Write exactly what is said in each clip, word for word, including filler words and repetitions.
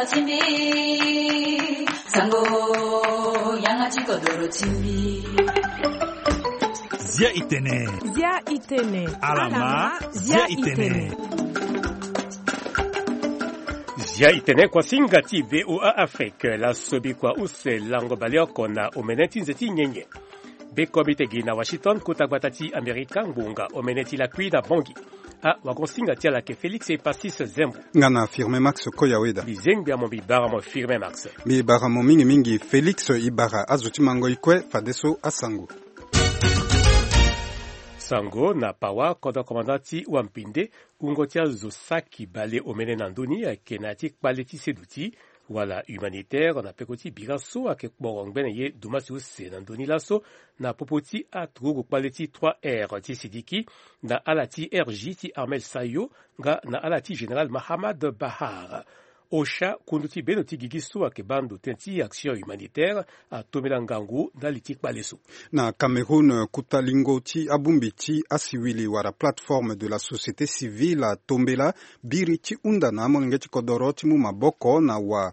Timbi, sango, yanga ti kodoro timbi. Zia itene. Zia itene. Alama, zia itene. Zia itene kuasinga ti V O A Afrique, la sobi kua use lango baleoko na omene ti nze ti nyenye. Be komite gi na Washington, kota gbata ti Amerika, ngbonga omene ti lakui na Bangui. A wagon singa ti ala ke Félix Epacis Zembo. Nga na Firmin Max Koyaweda. Bizengbi amo mbi bara mo Firmin Max. Mbi bara mo mingi mingi Félix, i bara azo ti mango i kue fadeso asango. Sango na pawa kodro komanda ti wampinde, wungo ti azo saki bale omene na ndoni ayeke na ya ti kpale ti seduti wala humanitaire na peko ti bira so ayeke kporo ngbene ye dumasi use na ndoni laso, na popo ti aturugu kpale ti trois R ti Sidiki, na ala ti R J ti Armel Sayo, nga na ala ti général Mahamad Bahar. Osha, kundu ti bendo ti gigi so ayeke baa ndo tënë ti action humanitaire, atombela ngangu ndali ti kpale so. Na Cameroun, kota lingo ti abongbi ti asiwili wala plateforme de la société civile atombela biri ti hunda na amolenge ti kodoro ti mu maboko na wa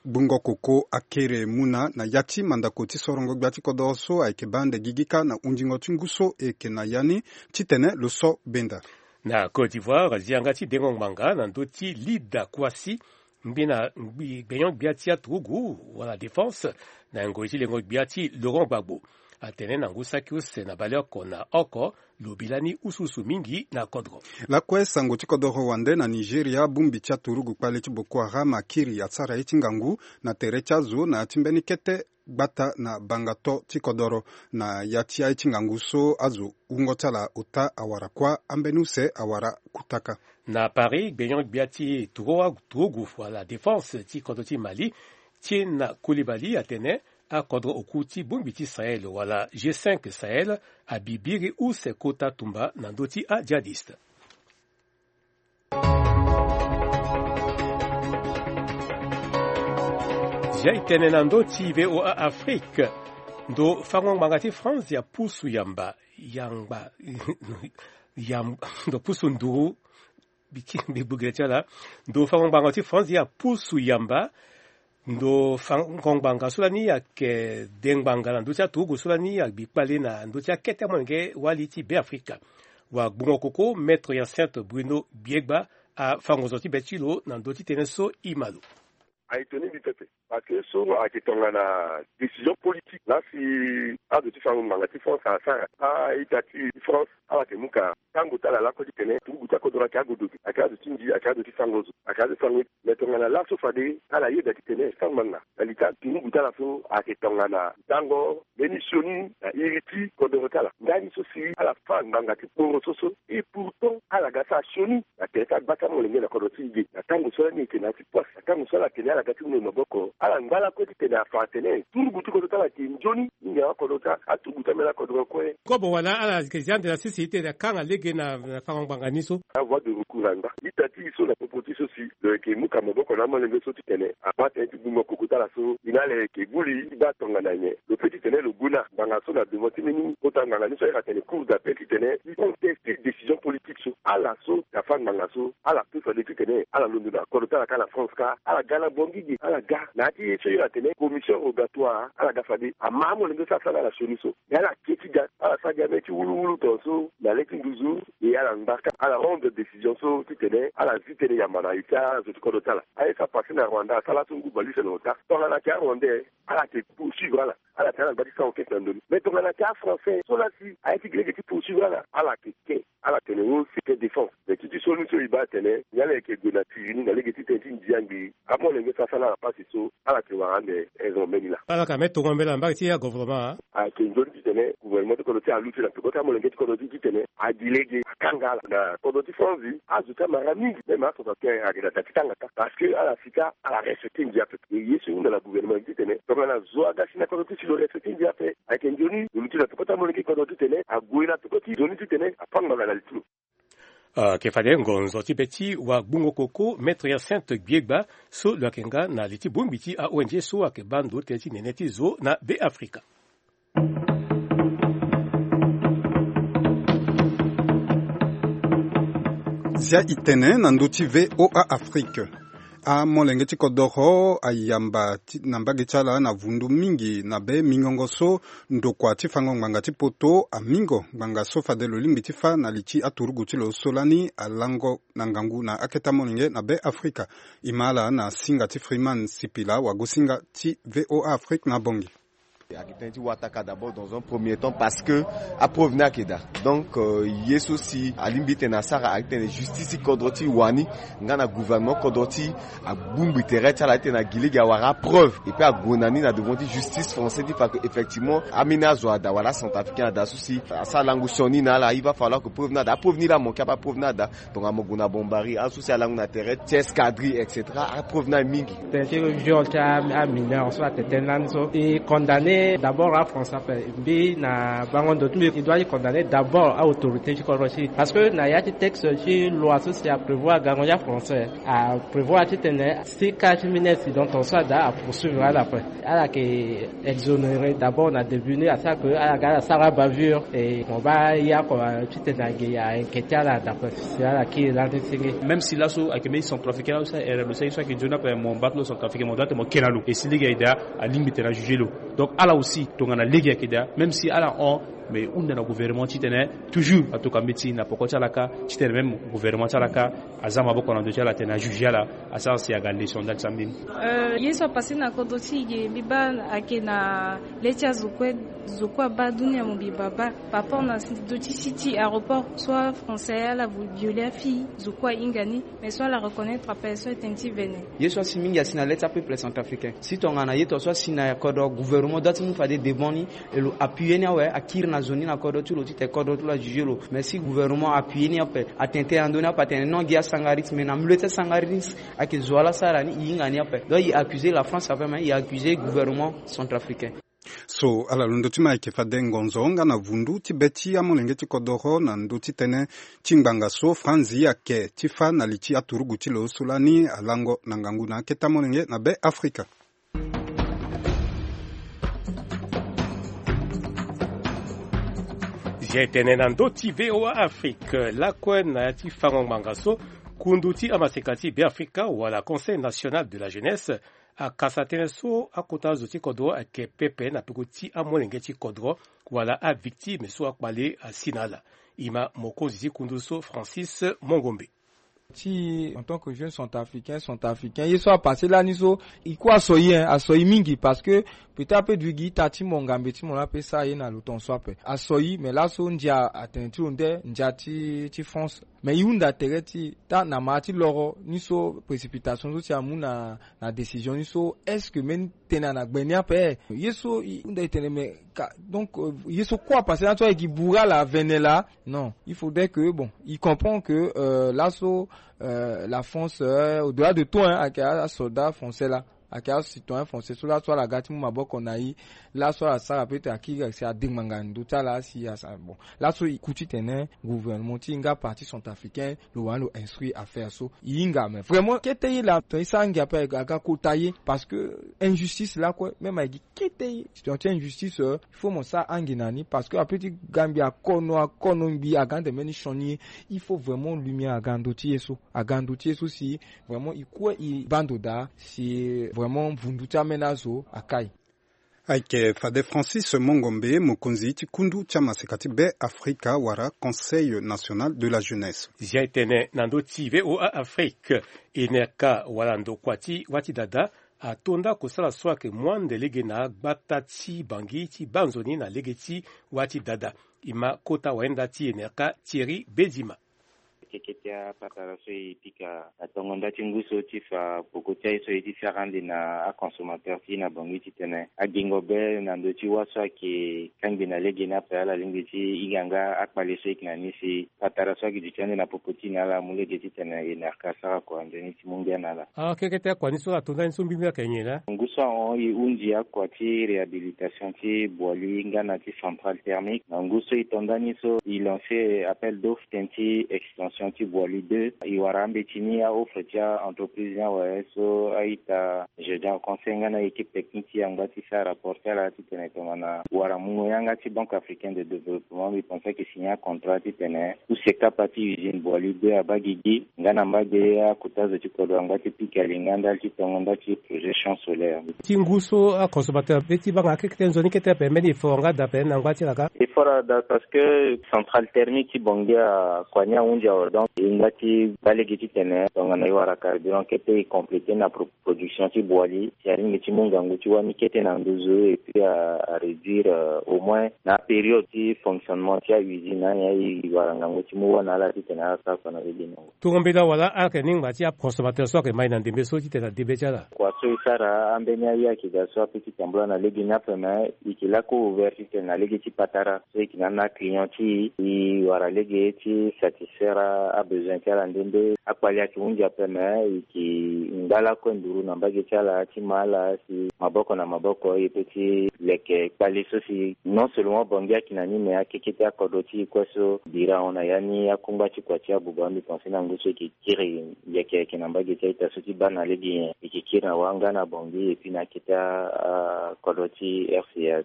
gbungo koko akere mu na na ya ti mandako ti sorongo gbia ti kodoro so ayeke baa ande gigi kâ na hundingo ti ngu so e yeke na ya ni titene lo so benda. Na Côte d'Ivoire, zi yanga ti dengo ngbanga na ndö ti Lida Kouassi, mbi na ngbi gbenyo gbia ti aturugu wala défense na ngoi ti lengo gbia ti Laurent Gbagbo. Atene na ngu saki use na baleoko na oko, lo bi lani usuusu mingi na kodro. Lakue sango ti kodoro wande na Nigeria, bongbi ti aturugu kpale ti Boko Haram akiri asara ye ti ngangu na tere ti azo na ya ti mbeni kete gbata na bangato ti kodoro. Na ya ti aye ti ngangu so azo wungo ti ala ota awara kuâ, ambeni use awara kutaka. Na Paris, gbenyo gbia ti turu-, turugu wala défense ti kodro ti Mali, Tiena Koulibaly atene akodro oku ti bongbi ti Sahel wala G cinq Sahel abi biri use kota tumba na ndö ti ajihadiste. Zia itene na ndö ti V O A Afrique. Ndo fango ngbanga ti France ya pusu yamba, yangba, yam-, ndo pusu nduru, bi ti, bi gbogere ti ala. Ndo fango ngbanga ti France ya pusu yamba. Ndo fango ngbanga so lani ayeke de ngbanga na ndö ti aturugu so lani agbi kpale na ndö ti akete amolenge wali ti Beafrika. Wa gbungo koko, Maître Hyacinthe Bruno Biegba afango zo ti be ti lo na ndö ti tënë so e ma lo. Aye toni mbi pepe. Parce que so ayeke tongana décision politique. Laa si azo ti fango ngbanga ti France asara, a-ita ti France ala yeke mu ka tango ti ala lakue titene turugu ti akodro ayeke agodo ge, ayeke azo ti nzi, ayeke azo ti fango zo, ayeke azo ti fango. Mais tongana laso fade ala yeda titene fango ngbanga na li ti aturugu ti ala so ayeke tongana tango mbeni sioni na iri ti kodoro ti ala. Ndani so si ala fa ngbanga ti kporo so so. Et pourtant ala ga sara sioni na tere ti agba ti amolenge na kodro ti e ge. Na tango so lani e yeke na ya ti pasi, na tango so ala yeke ni ala ga ti mu na e maboko, ala ngba lakue titene afa atene turugu ti kodro ti ala ayeke nzoni. Mingi awa kodro ti aturugu ti ambeni akodro kue. Kobo wala ala yeke zi ande na sese titene akanga lege na, na fango ngbanga ni so. Avoie de recours angba. Ita ti e so na popo ti e so si lo yeke mu ka maboko na amolenge so titene abaa tënë ti gbungo koko ti ala so e na ala yeke gbu li ti baa tongana nyen. Lo peut titene lo gbu na ngbanga so na devant ti mbeni kota ngbanga ni so ayeke atene cour d'appel titene e conteste décision politique so. Ala so afa ngbanga so ala peut fade titene ala londo na kodro ti ala kâ na France kâ, ala ga na Bangui ge, ala ga na ya ti ye so e atene commission rogatoire, ala ga fade ama amolenge so asara na ala sioni so. Me ala kiri ti ga, ala sara gi ambeni ti wuluwulu tongaso na le ti nduzu. E ala ngba kâ, ala rendre décision so titene ala zi tënë yamba na li ti azo ti kodro ti ala. Aye so apase na Rwanda asara so ngu bale use na ota. Tongana ayeke aRwandais, ala yeke poursuivre ala, ala tene ala ngba ti sara enquête na ndö ni. Mais tongana ayeke aFrançais so laa si ayeke gi lege ti poursuivre ala, ala yeke ke, ala tene o c'est que défense. Mais ti ti sioni so e baa atene nyen ala yeke gue na tiri ni na lege ti tënë ti ndia ngbii. Amolenge so asara na ala pasi so ala yeke wara ande raison mbeni laa. Ala yeke ame tongo mbela na mbage ti agouvernement. Ayeke nzoni titene gouvernement ti kodro ti e aluti na peko ti amolenge ti kodro ti e titene agi lege akanga ala. Na kodro ti France, azo ti amara mingi, même asoixante-quinze ayeke na da ti tanga kâ. Parce que ala si kâ ala respecte ndia ape. E ye so e hunda na gouvernement titene tongana zo aga si na kodro ti e si lo respecte ndia ape, ayeke nzoni lo luti na peko ti amolenge ti kodro titene ague na peko ti nzoni titene afa ngbanga na li ti lo. Ayeke fade ngonzo ti be ti wagbungo koko, Maître Hyacinthe Gbiegba, so lo yeke nga na li ti bongbi ti a-O N G so ayeke baa ndo tënë ti nene ti zo na Beafrika. Zia itene na ndö ti V O A Afrique. Amolenge ti kodoro ayamba na mbage ti ala na vundu mingi na be mingongo so ndokua ti fango ngbanga ti poto amingo ngbanga so fade lo lingbi ti fa na li ti aturugu ti lo so lani alango na ngangu na akete amolenge na be afrika. E ma ala na singa ti Freeman Sipila wagosinga ti VOA Afrique na Bangui. Ayeke tënë ti wataka d'abord dans un premier temps parce que apreuve ni ayeke daa. Donc ye so si alingbi ti tene asara ayeke tene justice ti kodro ti wani nga na gouvernement kodro ti abongbi tere ti ala ti tene agi lege awara apreuve et puis ague na ni na devant ti justice français ti fa ke effectivement ambeni azo ada wala acentrafricain ada so si asara lango sioni na ala il va falloir ke preuve ni ada apreuve ni laa amanke ape apreuve ni ada. Tongana mo gue na bombari aso si alangu na tere ti escadrille et cetera apreuve ni aye mingi. Tene ti viol ti amineur so atene tënë lani so e condamné d'abord afrançais ape. Mbi na bango ndo ti mbi e doit ti condamné d'abord aautorité ti kodro ti e parce que na ya ti texte ti loi so si aprévoir gango ti afrançais aprévoir ti tene si ka ti mineur si donc ton so ada apoursuivre ala ape. Ala yeke exonéré d'abord na début ni asara ke ala ga ala sara abavure. E mo baa ya ko ti tene age ya inquiété ala d'après si ala kiri lani ti nge. Même si laso ayeke mbeni centrafricain laso erreur lo sara ye so ayeke nzoni ape mo mba ti lo centrafricain mo doit ti mo ke na lo et si lege aye daa alingbi tene ajuge lo. Donc ala aussi tongana lege ayeke daa même si ala hon mais e hunda na gouvernement ti tene toujours atoka mbeti na poko ti ala kâ ti tene même gouvernement ti ala kâ aza maboko na ndo ti ala atene ajuge ala asara si aga leçon ndali ti ambeni. Ye so apase na kodro ti e ge mbi baa ayeke na le ti azo kue. Zo kue abaa dunia mo mbi baba par rapport na ndo ti si ti aéroport so afrançais ala viole afii zo kue ahinga ni. Mais so ala reconnaître ape so etene ti vene. Ye so asi mingi asi na le ti apeuple centrafricain si tongana ye to so asi na kodro gouvernement doit ti mu fade devant ni. E lo appuyer ni awe akiri na zo ni na kodro ti lo titene kodro ti lo ajuge lo mais si gouvernement appuyer ni ape atene tënë na ndö ni ape atene non gi asangaris mais na milieu ti asangaris ayeke zo ala sara ni e hinga ni ape donc e accuse la France ape mais e accuse gouvernement centrafricain. So ala londo ti ma ayeke fade ngonzo nga na vundu ti be ti amolenge ti kodoro na ndö ti tënë ti ngbanga so franzi ayeke ti fa na li ti aturugu ti lo so lani alango na ngangu na akete amolenge na be afrika. Zia etene na ndö ti VOA Afrique lakue na ya ti fango ngbanga so kundu ti amaseka ti Beafrika wala Conseil National de la Jeunesse akasa tënë so akota zo ti kodro ayeke pepe na peko ti amolenge ti kodro wala avictime so akpale asi na ala. E ma mokonzi ti kundu so Francis Mongombe. Ti en tant que jeune centrafricain centrafricain ye so apasse lani so e kue aso e hein aso e mingi parce que peut-être ape duigi ita ti mo ngambe ti mo la ape sara ye na lo tongaso ape aso e mais laso ndia atene ti lo nde ndia ti ti France. Mais e hunda tere ti taa na ma ti loro ni so précipitation so si amu na na décision ni so est-ce que mbeni tënë na gbe ni ape? Ye so e hunda e tene mais ka donc ye so kue apasse lani so ayeke bura la avene la. Non, il faudrait que bon e comprend que laso la France au-delà de tout hein ayeke asoldat français la ayeke acitoyen français so laso ala ga ti mu maboko na e. Laso ala sara peut-être akiri si adengbanga ndö ti ala si asara bon. Laso e ku titene gouvernement ti e nga parti centrafricain lo wani lo instruire affaire so e hinga mais vraiment kete ye la tongana e sara ngia ape aga kota ye parce que injustice lakue même ayeke gi kete ye. Titene ti injustice il faut mo sara ange na ni parce que ape ti ga ngbi akono akono ngbi aga ande mbeni sioni ye. Il faut vraiment lumière aga ndö ti ye so aga ndö ti ye so si vraiment e kue e baa ndo daa si vraiment vundu ti ambeni azo akai. Ayeke fade Francis Mongombe mokonzi ti kundu ti amaseka ti Be Afrika wala Conseil National de la Jeunesse. Zia etene na ndö ti VOA Afrique. Enerka wala ndokua ti wâ ti dada ato nda kosala so ayeke mu ande lege na agbata ti Bangui ti baa nzoni na lege ti wâ ti dada. E ma kota wayenda ti Enerka Thierry Bedima. Keke ti apatara so e pika na tongo nda ti ngu so ti fa poko ti aye so e ti sara ande na aconsommateur ti e na Bangui titene agingo be na ndö ti wâ so ayeke kangbi na lege ni ape ala lingbi ti hinga nga akpale so e yeke na ni si patara so ayeke duti ande na popo ti e na ala amu lege titene Enerka asara kua nzoni ti mu ngia na ala. Ah keke ti akua ni so ato nda ni so mbimbi ayeke nyen laa? Ngu so ahon e hunzi akua ti réhabilitation ti Boali nga na ti centrale thermique na ngu so e to nda ni so e lancer appel d'offre tënë ti extension ti Boali deux, e wara ambeti ni, a offre ti a entreprise ni awe so a-ita Géant Conseil nga na équipe technique ti e angba ti sara rapport ti ala titene tongana wara mungo yanga ti Banque Africaine de Développement, mbi pense ayeke signer contrat titene tout ce kapa ti usine Boali deux abaa gigi nga na mbage akota zo ti kodro angba ti pika linganda ti tongo nda ti projet champ solaire. Ti ngu so aconsommateur be ti banga akekete nzoni kete ape mbeni effort nga daa ape na ngba ti laka. Effort ada parce que centrale thermique ti Bangui akua ni ahunzi awe, donc e hinga ti baa lege titene tongana e wara carburant kete e compléter na pro- production ti Boali si alingbi ti mu ngangu ti wâ ni kete na nduzu et puis a, a réduire euh, au moins na période ti fonctionnement ti a usine ni aye e wara ngangu ti mu wâ na ala titene ala sara kua na lege ni. Tongo mbela wala ala yeke ni ngba ti aconsommateur so ayeke mai na ndembe so titene ade be ti ala. Kua so e sara ambeni aye ayeke daa so ape ti tambula na lege ni ape me e yeke lako ouvert titene na lege ti patara so e yeke na na client ti e e wara lege ti satisfaire abesoin ti ala nde nde. Akpali ayeke hunzi ape me e yeke ngba lakue nduru na mbage ti ala ti ma ala si maboko na maboko e peut ti leke kpali so si non seulement Bangui ayeke na ni me akekete akodro ti e kue so bira ahon na ya ni akungba ti kua ti abuba mbi pense na ngu so e yeke kiri yeke yeke na mbage ti a-ita so ti baa na lege nyen e yeke kiri na wâ nga na Bangui et puis na akete akodro ti RCA.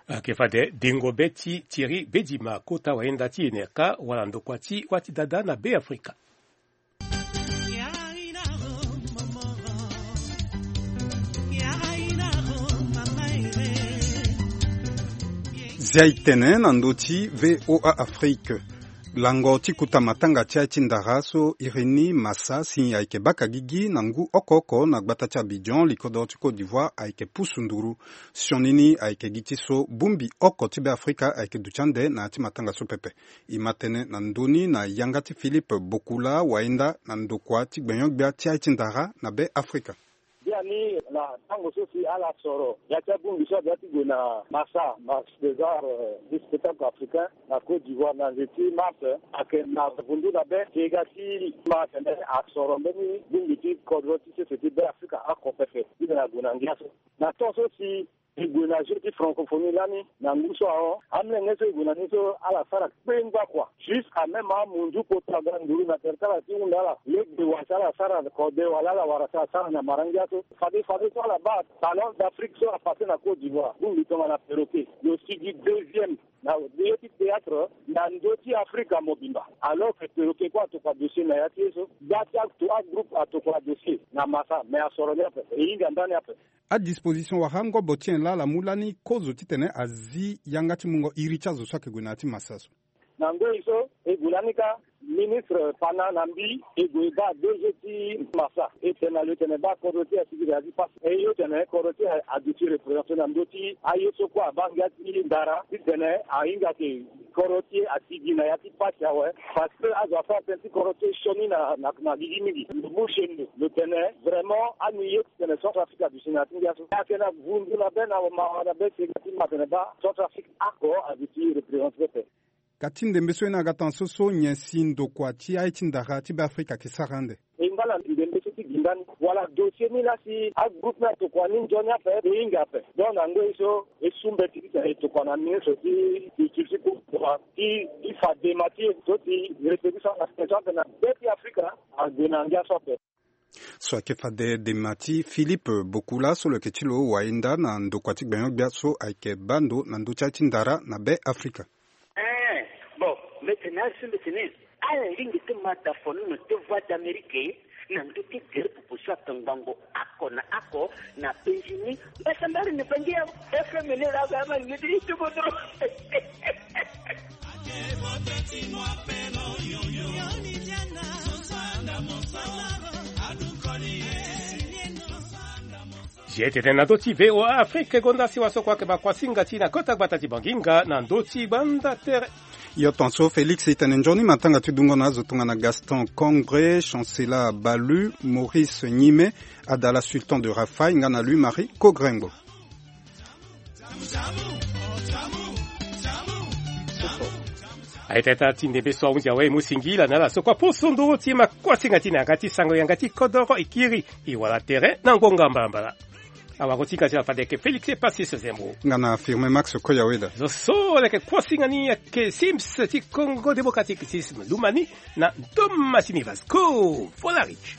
Ayeke fade dengo be ti Thierry Bedima kota wayenda ti Enerca wala ndokua ti wâ ti dada na Be Afrika. Zia e tene na ndö ti VOA Afrique. Lango ti kuta matanga ti aye ti ndara so iri ni Massa si ayeke baka gigi na ngu oko oko na gbata ti Abidjan, likodoro ti Côte d'Ivoire ayeke pusu nduru. Sioni ni ayeke gi ti so bongbi oko ti Be Afrika ayeke duti ande na ya ti matanga so pepe. E ma tënë na ndö ni na yanga ti Philippe Bokula wayenda na ndokua ti gbenyo-gbia ti aye ti ndara na Be Afrika. Biani na tango so si ala soro ya ti abongbi so abi ya ti gue na Massa, Marché des Arts, euh, du Spectacle Africain na Côte d'Ivoire na nze ti mars, ayeke na vundu na be ti e ga ti ma atene asoro mbeni bongbi ti kodro ti sese ti Be Afrika oko pepe ti tene ague na ngia so. Na temps so si e gue na jeu ti francophonie lani na ngu so ahon, amolenge so e gue na ni so ala sara kpengba kua. Jusqu'à même amunzu kota ga nduru na tere ti ala ti hunda ala lege wa si ala sara kode wala ala wara si asara na mara ngia so. Fade fade so ala baa Salon d'Afrique so apasse na Côte d'Ivoire, bongbi tongana perroquet, lo sigi deuxième na ye ti théâtre na ndö ti Afrika mobimba. Alors que perroquet kue atokua dossier na ya ti ye so, gba ti ato agroupe atokua dossier na Massa, mais asoro ni ape, e hinga ndani ape. Adisposition wala ngobo ti nyen laa ala mu lani kozo titene azi yanga ti mungo iri ti azo so ayeke gue na ya ti Massa so? Na ngoi so e gue lani kâ, ministre Pana na mbi e gue e baa DG ti Massa, e tene na lo e tene baa kodro ti e asigi na ya ti pasi. E yo tene kodro ti e aduti représente na ndö ti aye so kue abaa ngia ti ndara titene ahinga ke kodro ti e asigi na ya ti pasi awe. Parce que azo asara tënë ti kodro ti e sioni na, na, na gigi mingi. Lo mu sendo lo tene vraiment ani ye titene Centrafrique aduti na ya ti ngia so. Ayeke na vundu na be na mawa na be si e ga ti ma tene baa Centrafrique oko aduti représente pepe. Ka ti ndembe so ye ni aga tan so so nyen si ndokua ti aye ti ndara ti Be Afrika ayeke sara ande? E ngba na ndembe so ti gi ndani wala dossier ni laa si agroupe ni atokua ni nzoni ape, e hinga ape. Donc na ngoi so e su mbeti titene e tokua na ministre ti culture ti Côte d'Ivoire ti, ti fa dema ti e so si reproduction na situation ape na be ti Afrika ague na ngia so ape. So ayeke fade dema ti Philippe Bokula so lo yeke ti lo wayenda na ndokua ti gbenyo-gbia so ayeke baa ndo na ndö ti aye ti ndara na Be Afrika. Eh, bon, mbi tene asi mbi tene ala lingbi ti ma da fono na te Voix d'Amérique na ndö ti tere popo so atongbango oko na oko na penzi ni. Mbasambari ni bangi ya F M ni la ga ma ni ti tubodro. Zia e tene na ndö ti VOA Afrique gonda siwa so kue ayeke bakuasinga ti na kota gbata ti Banginga na ndö ti gbanda tere. Yo tonso Félix, e tene nzoni matanga ti dungo na azo tongana Gaston Congre, Chancela Balu, Maurice Gnime, Adala Sultan de Rafaï nga na Louis Marie Kogrengbo. Aye tata ti ndembe so ahunzi awe e mu singila na ala so kue aposo nduru ti makuasinga ti na yanga ti sango yanga ti kodoro e kiri e wara tere na ngonga mbalambala. Awara ti ka ti la fade yeke Félix Epasis Zembo. Nga na Firmin Max Koyaweda. Zo so leke kuasinga ni yeke Sims ti Congo Démocratique, Sims Lumani, na Thomas Sinivas ko. Vola Rich.